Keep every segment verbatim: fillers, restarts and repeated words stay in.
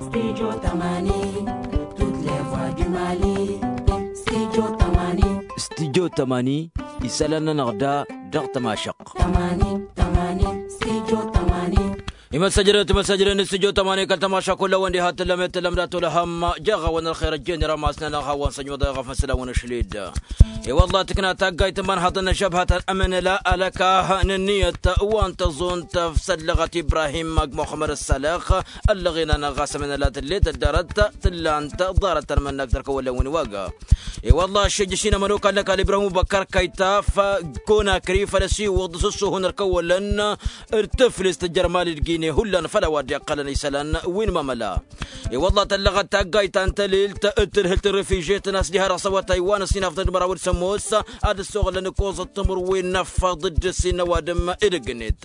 Studio tămani, toutes les voix du mali. Studio tămani. Studio tămani, isălan-nănăɣ da dăɣ-tămašăqq. Tămani, tămani, studio tămani. Imăssăjrăt imăssăjrăt n-studio tămani kăl-tămašăqq kull-awăn diha tǝllăm i-tǝllăm dat-olăhăm. Jaɣ-awăn ălxer ăjjeen iramas-nănăɣ hawăn-săjmăḍ eɣăf n-săl awăn-ašled. I-wălla tǝkna taggayt n-imanhăḍăn n-ažăbhătăn ămănăla alăka n-ǝnniyăt wa n-tăẓunt, făsăllăɣăt ibrahim ăgg muxămmăd ăssalăx. Ăllăɣen-anăɣ ɣas ămănăla tǝllet ăddarăt tǝllant ḍarăt tăn-mănnakt ărkăwălăn wi n-iwaga. I-wălla aššejăš-in ămănokal n-ăkall ibrahim ubăkkăr kăyta f-konakri făl ăsiwǝḍ s-ǝssuhun ărkăwălăn d-tǝflǝst tǝjjăr mali d-gine hullan făll-a-wa dd-iqqălăn isălan wi n-mamăla. I-wălla tăllăɣăt taggayt ta n-tălilt d-tǝdhǝlt n-refižetăn a-s diha dăɣ-s awătay wa n-ăssinafḍăn d-măraw d-sămoos ad-ăssoɣlăn ǝkkoẓăt timǝrwen n-afăḍ d-ǝssin n-ăwadǝm edăgg-net.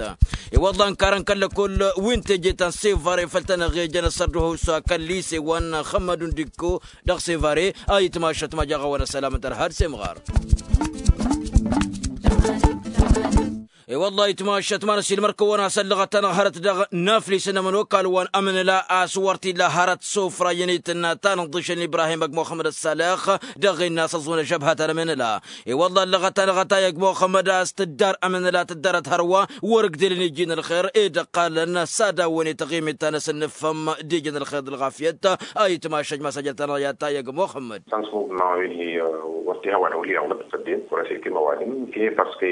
I-wălla ănkarăn kăl-lăkull wi n-teje ta n-sevare făll-tănăɣ ejăn ăssărduhăw s-akăl lise wa n-xămmădun dikko dăɣ-sevare. A itmašăt ma jaɣ-awăn ăssălam n-tărha d-semɣar. I-wălla itmašăt ma n-ăsilmăr-kăwăn a-s ăllăɣăt-anăɣ hărăt dăɣ-naflis n-ămănokal wa n-amnǝla a-s wăr t-illa hărăt sofra iyyăn itǝnna ta n-ǝḍḍǝšăn ibrahim ăgg muxămmăd ăssalăx. Dăɣ-innă a-s ăẓẓun ăžžăbhăt ănămnǝla. I-wălla ăllăɣăt-anăɣ ătay ăgg muxămmăd a-s tǝddar amnǝla tǝddărăt hărwa wăr-ǝgdǝlăn iji n-ălxer ed ăqqalăn s-ad-awăn-ităɣ i-mittan a-s ǝnnǝffăm d-iji n-ălxer d-ălɣafyăt. A itmašăt ma s-ăjrăt-anăɣ i-atay ăgg muxămmăd. Sănsmub ma win-hi wăr t-ihăwăn awǝl iɣlăḍ făl dd-in wăr-ăsilkǝm ăwadǝm-hi. Parske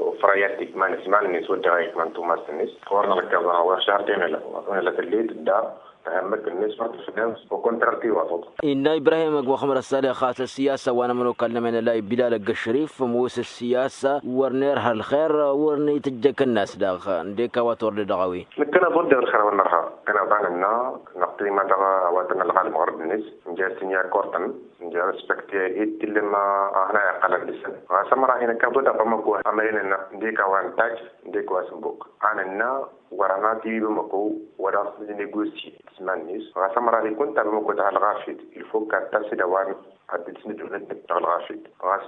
ufrayat tikman s-iman-net wădden a ikman tumast-net. Wăr nălkăẓăn wăr šar temela wăr temela tǝllit dd-a tăhămmăk-net wăr tǝfdăm. Okontrar tiwaḍăḍ. Innă ibrahim ăgg muxămmăd ăssalăx a-s ăssiyasa wa n-ămănokal n-ămănălay bilal ăgg ăšrif ămoos ăssiyasa wăr nerha ălxer wăr n-itǝjjăk ǝnnas daɣ. Ǝndek a-wa t-wăr dd-dăɣ a-wen. Nǝkkăneḍ wădden ălxer a-wen nărha. Kăneḍ-anănna năqtǝy ma dăɣ-a-wa tăn-ălɣalăm ɣărd-net. Nja s-tǝnya kortăn nja respecte i-tillăm a hăna iqqălăn dăɣ-săn. Ɣas ămăra hin-ăkkaḍ wădden bamăko amăren-nănăɣ ǝndek a-wa n-taj ǝndek wa s-ǝmbuk. Anănna wăr-ănna tiwi bamăko wăr-ănna s-nănegosye s-iman-net. Ɣas ămăra ikun ta bamăko tăha ălɣafyăt ilfok ad-tasǝd a-wa n-ad-dd-sǝnǝdhǝlăn dăɣ-ălɣafyăt. Ɣas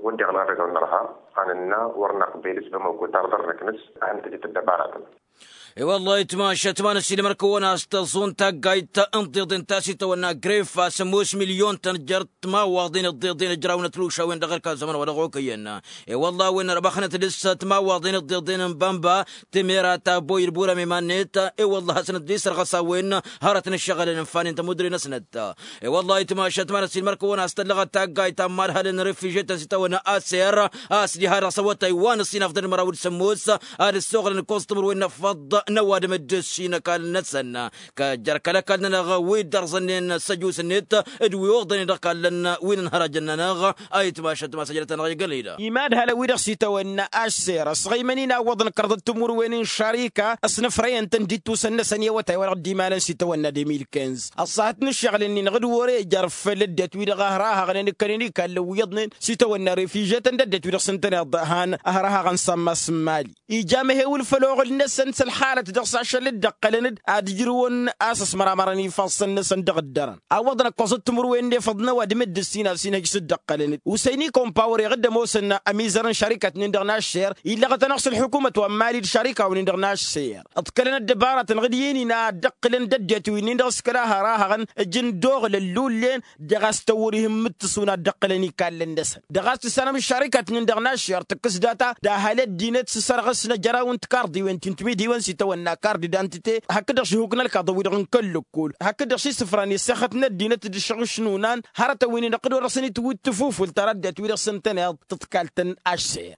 wădden ălɣafyăt a-wa n-nărha anănna wăr-năqbel s-bamăko tarḍăr-năknăs a hăn tăjăt ăddăbaratăn. I-wăllah itmašăt ma n-ăsilmăr-kăwăn a-s tăẓẓun taggayt n-tiḍen ta s-itawănna gref a-s ămoos milyon-tăn jer-timawaḍen d-tiḍen ǝjrawnăt lušawen dăɣ-ărkal zăman wa dăɣ-okăyăn. I-wăllah a-wen ărmăxnăt dăɣ-s timawaḍen d-tiḍen n-bănba temera ta boy d-burăm iman-net. I-wăllah hasnăt dd-isărɣăs a-wen hărăt n-ǝššăɣǝlăn n-fanen tămudre-năsnăt. I-wăllah itmašăt ma n-ăsilmăr-kăwăn a-s tăllăɣăt taggayt ta n-imadhălăn n-refiže-tăn s-itawănna aser a-s diha dăɣ-s awătay wa n-ăsinafḍăn d-măraw d-sămoos ad-ǝssoɣlăn ǝkkoẓ timǝrwen n-afăḍ n-ăwadǝm dd-ăssin ăkall-năsăn. Kăjjăr kăl-ăkall-nănăɣ wi dd-ărẓănnen s-ăjus-net d-wi oḍănen dăɣ-kallăn wi n-ănhărajăn-nănăɣ. A itmašăt ma s-ăjrăt-anăɣ i-gălhida. Imad hălăn wi-dăɣ s-itawănna aššer ăsɣăymăn-in a ǝwwăḍăn kărḍăt timǝrwen n-šarika ăsnăfrăyăn-tăn d-ittusăn-năsăn i-awătay wa dăɣ-dd-imalăn s-itawănna de mil kinz. Ăṣṣahăt n-ǝššăɣǝl-ǝnnin ɣǝd wăr-e jer-făll-ăddinăt wi-dăɣ a hărahăɣnen ǝkkănen ikallen wi iyyăḍnen s-itawănna refiže-tăn d-ăddinăt wi dăɣ-s ǝntăneḍ han ăhrahăɣăn s-ammas n-mali. Ija amăhewǝl făll-oɣǝl-năsăn s-ălxalăt dăɣ-s ašăl dd-ăqqălăn-dd ad-ǝjrǝwăn a-s ăsmăramărăn ifassăn-năsăn dăɣ-ǝddărăn. Awwăḍăn ăkkoẓăt timǝrwen n-efăḍ n-ăwadǝm d-ǝssin a-s inhăj s-dd-ăqqălăn-dd usăyni kompawăr iɣǝd ămoosăn ămizăr n-šarikăt-nin-dăɣ n-aššer. Illăɣăt-anăɣ s-ălḥukumăt wa n-mali d-šarikaw-nin-dăɣ n-aššer ǝḍkălăn ăddăbaratăn ɣǝd i-nin ad-dd-ǝqqǝlăn d-ăddinăt wi-nin-dăɣ s-kăla har-ahăɣăn ǝjǝn d-oɣlăl lullen. Dăɣ-a-s tăwwăr ihǝmmǝt tǝṣun ad-dd-ǝqqǝlăn ikallăn-năsăn dăɣ-a-s tǝssanăm ăššarikăt-nin-dăɣ n-aššer tǝkkǝs data d-ahal ăddinăt s-sărɣǝs n-ajăraw n-tikarḍiwen ti n-timidiwen s-itawănna kard idantite. Hakd-dăɣ šihuk n-ălkaḍăn-wi-dăɣ n-kăl-lăkkol hakd-dăɣ šisǝfran i-ăssexăt n-ăddinăt d-ašăɣ ǝšnunan. Hărătăn wi-nin-dăɣ d-wăr-dăɣ-săn itwǝt tǝfufǝlt ar ăddinăt wi-dăɣ s-ǝntăneḍ tǝḍkalt n-aššer.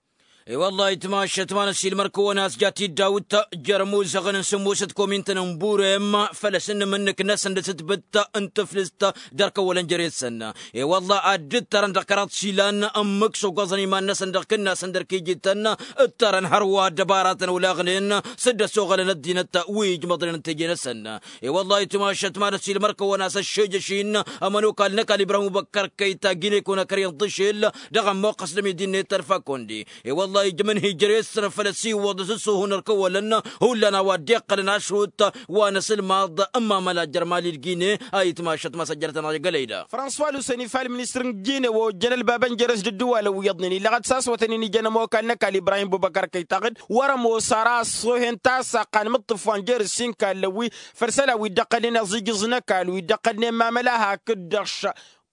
I-wăllah itmašăt ma n-ăsilmăr kăwăn-as ja tiddawt jer-ămuzăɣăn n-sǝmmosăt komintăn n-burem făl-ăsǝnnǝm ǝnnǝk-năsăn d-asǝtbǝt n-tǝflǝst d-ărkăwălăn jere-săn. I-wăllah ad-dd-tărăn dăɣ-kăraḍ išilan ǝmmǝk s-ogoẓăn iman-năsăn dăɣ-kǝnnasăn d-ărkijităn ǝttărăn hărwa ăddăbaratăn olaɣnen s-dd-ăsoɣălăn ăddinăt wi ijmăḍnen n-teje-năsăn. I-wăllah itmašăt ma n-ăsilmăr kăwăn-as ăššejăš-in ămănokal n-ăkall ibrahim ubăkkăr kăyta gine-konăkăr inḍǝšel dăɣ-ămmoqqăs d-ămidi-net tărfa kondi. I-wăllah ăṭṭayǝj mǝnhǝjrăy ǝssǝnăfăl ăsiwăḍ s-ǝssuhun ărkăwălăn hullan a-wa dd-iqqălăn ašrut wa n-asǝlmaḍ n-imamăla jer-mali d-gine. A itmašăt ma s-ăjjărătăn a igălăy da. Fransuwa lusăni fal ministăr n-gine wa ojjăn ălbabăn jer-s d-ǝddǝwalăn wi iyyăḍnen illăɣăt s-a-s wătăn-in ijăn ămokal n-ăkall ibrahim bubăkar kăytaɣ-dd wăr-ămoos ara ăṣṣoohen ta s-aqqan mǝṭṭǝf wa n-jer-s inkallăn wi făll-isălan wi dd-ăqqălnen aẓijǝẓ n-ăkall wi dd-ăqqălnen mamăla hakd-dăɣ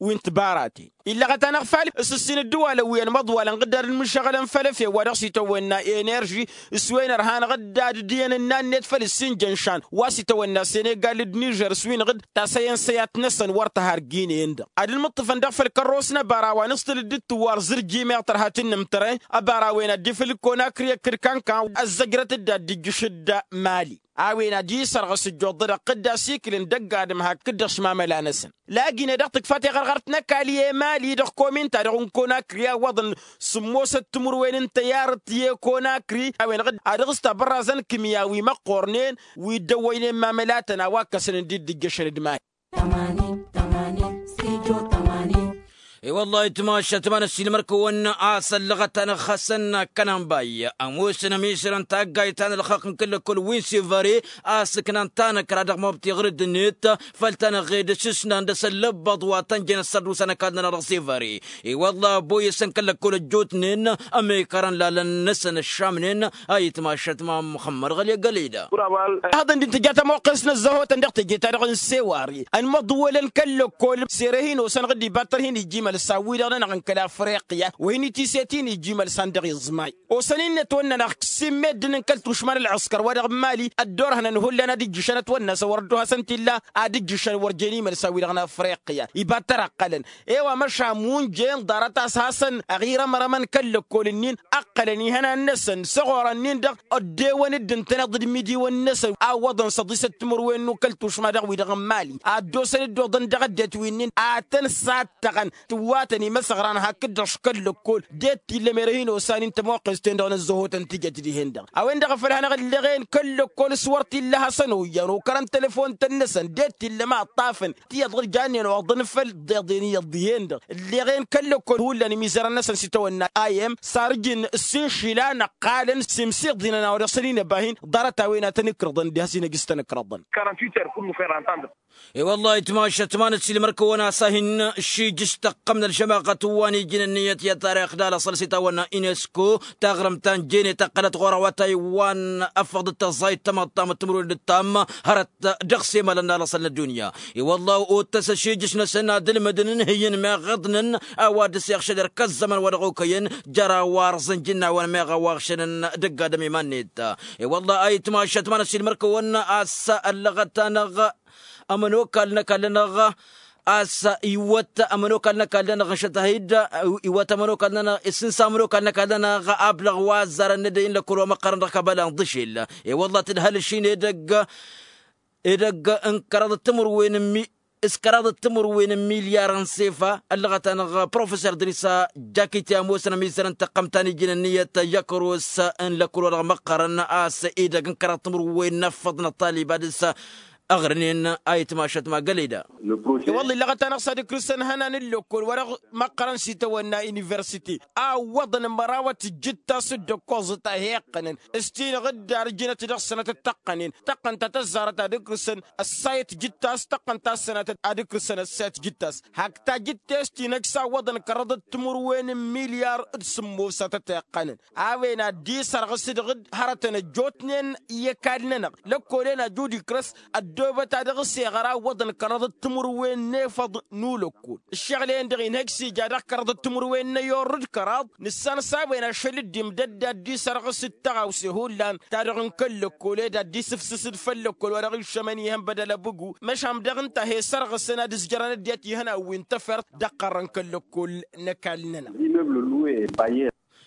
wi n-tibaraten. Illăɣăt-anăɣ fal s-ǝssin ǝddǝwalăn wi ănmăḍwalăn ɣǝddar n-imǝššăɣălăn făll-efew wa dăɣ-s itawănna enerži s-wen ărhan ɣǝddad d-iyyăn ǝnna-net făll-ǝssin jănšan wa s-itawănna senegal d-nižer s-wi n-iɣǝd tasăyăn săyat-năsăn wăr tăhar ginen-dăɣ ad-ǝlmǝṭṭǝfăn dăɣ-făll-kărros n-ăbara wa n-ǝṣṭǝl dd-tǝwwar zǝrji meɣ tărha tǝnnǝmtărăy ăbara-wen ad-dd-ifǝl kăwănakri ăkkăd kankan ăzzăjrăt-dd ad-dd-ijjǝš d-mali a-wen ad-isărɣǝs ǝjjuḍ-dăɣ dd-asikǝlăn dăgg-adǝm hakd-dăɣ šmamăla-năsăn. Lagine dăɣ-tǝkfa tiɣărɣărt n-ăkall i-emali dăɣ-kominta dăɣ-unkonakrǝy a ǝwwăḍăn sǝmmosăt timǝrwen n-tăyyarăt i-konakrǝy a-wen-dăɣ ad-dăɣ-s tabărrazăn kǝmya wi măqqornen wi dd-ăwwăynen mamălatăn a-wa ǝkkăsăn dd-ijjăšăn d-mali. I-wăllah itmašăt ma n-ăssiilmăr-kăwăn a-s ăllăɣăt-anăɣ xasăn kănănbay ămoosăn ămisărăn taggayt ta n-ălxaqq n-kăl-lăkkol wi n-sivăre a-s ǝknan tanăkra dăɣ-mobti ɣǝr-dd-net făll-tanăɣed s-ǝsnan dăɣ-s ăllăbbăḍ wa tăn-jen ăssărdusa n-ăkall-nănăɣ dăɣ-sivăre. I-wăllah ăboyăsăn kăl-lăkkol ăjjootnen ămekărăn lalăn-năsăn ăššamnen. A itmašăt ma n-muxămmăd ɣăli ăgg ălida. Aḍăn dd-intǝja tămoqqes n-ăzzăhotăn dăɣ-teje-ta-dăɣ n-seware ănmăḍwălăn kăl-lăkkol sere-hin-osănăɣ dd-ibattăr hin-ijji imălsan-wi-dăɣ-nănăɣ n-kăl-afriqya wa hin-itishet hin-ijji imălsan dăɣ-iẓmay. Osăn-in-net wănnănăɣ s-immedden n-kăl-tušma n-ălɣǝskăr wa dăɣ-n mali ăddoorhănăn hullan ad-ǝjjǝšăn ătwănna s-wăr ăddohăsăn t-illa ad-ǝjjǝšăn wăr jen imălsan-wi-dăɣ n-afriqya ibattăr ăqqălăn. I-wa măšan munjen ḍarăt-as hasăn-ăɣirămrămăn kăl-lăkkol-ǝnnin ăqqălăn ihănan-năsăn s-ăɣorăn-nin-dăɣ ăddewăn-dd ǝntăneḍ d-imidiwăn-năsăn a ǝwwăḍăn s-ăḍisăt timǝrwen n-okăl tušma dăɣ-wi-dăɣ n-mali ad-dd-osăn dd-oḍăn dăɣ-ăddinăt wi-nin ad-tăn-sattăɣăn tǝwwatăn imăsăɣran hakd-dăɣ s-kăl-lăkkol. De t-illa merăh-in osan-in tămoqqes-ten-dăɣ n-ăzzăhotăn tijăt dihen-dăɣ a-wen-dăɣ a făl hanăɣ-ǝlleɣen kăl-lăkkol s-wăr t-illa hasăn-oyyan okărăn telefon-tăn-năsăn de t-illa ma ǝṭṭafăn tiyyăḍ ɣǝr jannen oḍăn făll-ḍeḍen iyyăḍ dihen-dăɣ ǝlleɣen kăl-lăkkol hullan imizărăn-năsăn s-itawănna a i-m sarǝjǝn s-inšila năqqalăn s-imsiḍinăn a-wa dăɣ-săn inăba hin-ḍarăt-a-wen ad-tăn-ǝkrăḍăn diha s-inăj s-tăn-ǝkrăḍăn. I-wăllah itmašăt ma n-ăssiilmăr-kăwăn a-s a hin-šijǝš tăqqăm n-ălžămaɣăt wa n-iji n-ǝnniyăt i-tarix d-alăṣăl s-itawănna unesco taɣrǝmt ta n-jenet ăqqălăt ɣur-a-wa taywan ăffăɣ dd-tăẓẓayt tamăḍt tamăḍt timǝrwen d-ǝttam hărăt dăɣ-semălăn n-alăṣăl n-ăddunya. I-wăllah ottăs ăšijǝš-năsăn ad-ǝlmǝdăn ǝnhǝyăn meɣ iḍnăn a-wa dd-săyăɣšăd ărkăzzămăn wa dăɣ-okăyăn jer-a-wa ărẓǝnjǝnnawen meɣ a-wa ăɣšănăn dăgg-adăm iman-net. I-wăllah a itmašăt ma n-ăssiilmăr-kăwăn a-s ăllăɣăt-anăɣ ămănokal n-ăkall-nănăɣ a-s iwwăt ămănokal n-ăkall-nănăɣ n-šătahid iwwăt ămănokal-nănăɣ isǝnsa ămănokal n-ăkall-nănăɣ ablaɣ wa ăzzarăn n-edăy n-lăkkol wa măqqărăn dăɣ-kabăla n-iḍǝšel. I-wăllah tǝdhăl ǝššin edăgg edăgg n-kăraḍ d-timǝrwen n-mi s-kăraḍ d-timǝrwen n-milyar n-sefa ăllăɣăt-anăɣ professor dăr-isa jakite ămoosăn ămizărăn tăqqăm ta n-iji n-ǝnniyăt i-akăros n-lăkkol wa dăɣ-măqqărăn a-s edăgg n-kăraḍ timǝrwen n-ăffăḍ n-ăṭṭalib ad-dăr-s ăɣrǝnen. A itmašăt ma găleda. I-wălla illăɣăt-anăɣ s-ad-ǝkrǝsăn ihănan n-lăkkol wa dăɣ-măqqărăn s-itawănna universite a ǝwwăḍăn mărawăt ǝjjǝt-as dd-ăkkoẓăt a he-iqqănăn s-ti-năɣ dd-arǝjǝnăt dăɣ-sănătăt tăqqănen tăqqăn ta tăzzarăt ad-ǝkrǝsăn ăssayăt jǝttas tăqqăn ta s-sănatăt ad-ǝkrǝsăn ăssayăt jǝttas. Hak tajǝtte s-tinăj s-a ǝwwăḍăn kărăḍăt timǝrwen n-milyar d-sǝmmosatăt iqqănăn a-wen ad-dd-isărɣǝs dăɣ-dd hărătăn ăjjootnen i-ăkall-nănăɣ lăkkolen aju d-ikrăs ăddoobăt a dăɣ-s eɣăr a ǝwwăḍăn kărăḍăt timǝrwen n-efăḍ n-ulăkkol. Ǝššăɣǝl-en-dăɣ inhăj s-ija dăɣ-kărăḍăt timǝrwen n-ayorr d-kăraḍ nǝssan s-a-wen ašăl dd-imdădd ad-dd-isărɣǝs d-taɣawse hullan ta dăɣ-n kăl-lăkkol ed ad-dd-isǝfsǝs d-făll-lăkkol wa dăɣ-iššămăn ihăn bădăl abǝgu. Măšan dăɣ-ǝnta a he-sărɣǝsăn ad-ǝzjărăn ăddinăt ihăn a-wen tăfert dăɣ-iqqărrăn kăl-lăkkol n-ăkall-nănăɣ.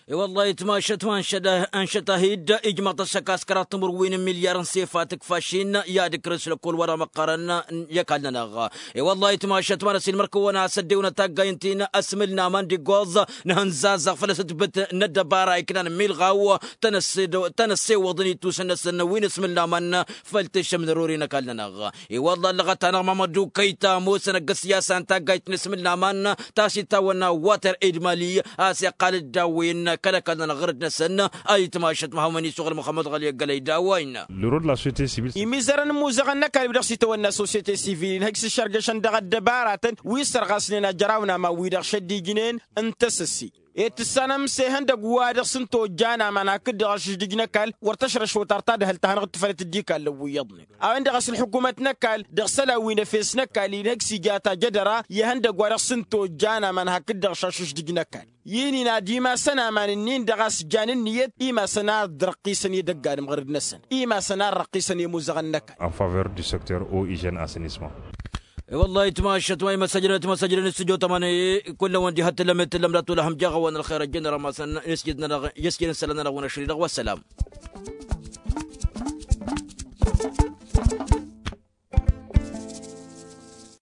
I-wăllah itmašăt ma n-šăt a-hi-dd ijmăḍ-t ăššăk a-s kăraḍ timǝrwen n-milyar n-sefa tǝkfa šin i-ad-ǝkrǝs lăkkol wa dăɣ-măqqărăn i-ăkall-nănăɣ. I-wăllah itmašăt ma n-ăsilmăr-kăwăn a-s ăddewăn taggay ǝnta-in ăsmǝl n-aman d-iggoẓ nǝhǝnzazăɣ făll-asǝtbǝt n-ăddăbara iknan milɣaw tăn-ăssewăḍăn ittusăn-năsăn wi n-asmǝl n-aman. Făll-tǝššăm n-ărori n-ăkall-nănăɣ i-wălla ăllăɣăt-anăɣ mamădu kăyta ămoosăn ăgg-ăssiyasa n-taggayt n-asmǝl n-aman ta s-itawănna water edmali a-s iqqal-dd a-wen. Kăl-ăkall-nănăɣ ɣur-dd-năsăn a itmašăt măhawmăn isuɣǝl muxămmăd ɣăli ăggălăy d-a-wa innă. Lărod la societe sivil. Imizărăn imuzăɣăn n-ăkall wi-dăɣ s-itawănna societe sivil inhăj s-išărgăšăn dăɣ-ăddăbaratăn wi s-ărɣasnen ajăraw n-aman-wi-dăɣ šăddijnen n-tăsăsi. Ed tǝssanăm s-ehăndăgg wa dăɣ-s n-tojjan aman hakd-dăɣ ašǝždǝj n-ăkall wăr tăšrăšot ar ta d-ehăl tahănăɣ d-tǝfălăt d-ikallăn wi iyyăḍnen a-wen-dăɣ a-s ǝlḥǝkumăt n-ăkall dăɣ-isălan wi n-efes n-ăkall inhăj s-ija tajădăra i-ehăndăgg wa dăɣ-s n-tojjan aman hakd-dăɣ šašǝždǝj n-ăkall. I-nin ad-imas ănaman-nin-dăɣ a-s jan ǝnniyăt imasăn ad-răqqisăn i-dăgg-adǝm ɣur-dd-năsăn imasăn ad-răqqisăn i-imuzăɣăn n-ăkall. En faveur du secteur eau hygiène assainissement. I-wăllah itmašăt wa imăssăjrănăt imăssăjrănăt s-tijo tămăne kull-wăn diha t-tǝllăm i-tǝllăm d-ad-tulăhăm jaɣ-wăn ălxer ăjjăn rămasăn. Isjid-nănăɣ isjid n-isălan-nănăɣ wăn ašri-dăɣ wa s-sălam.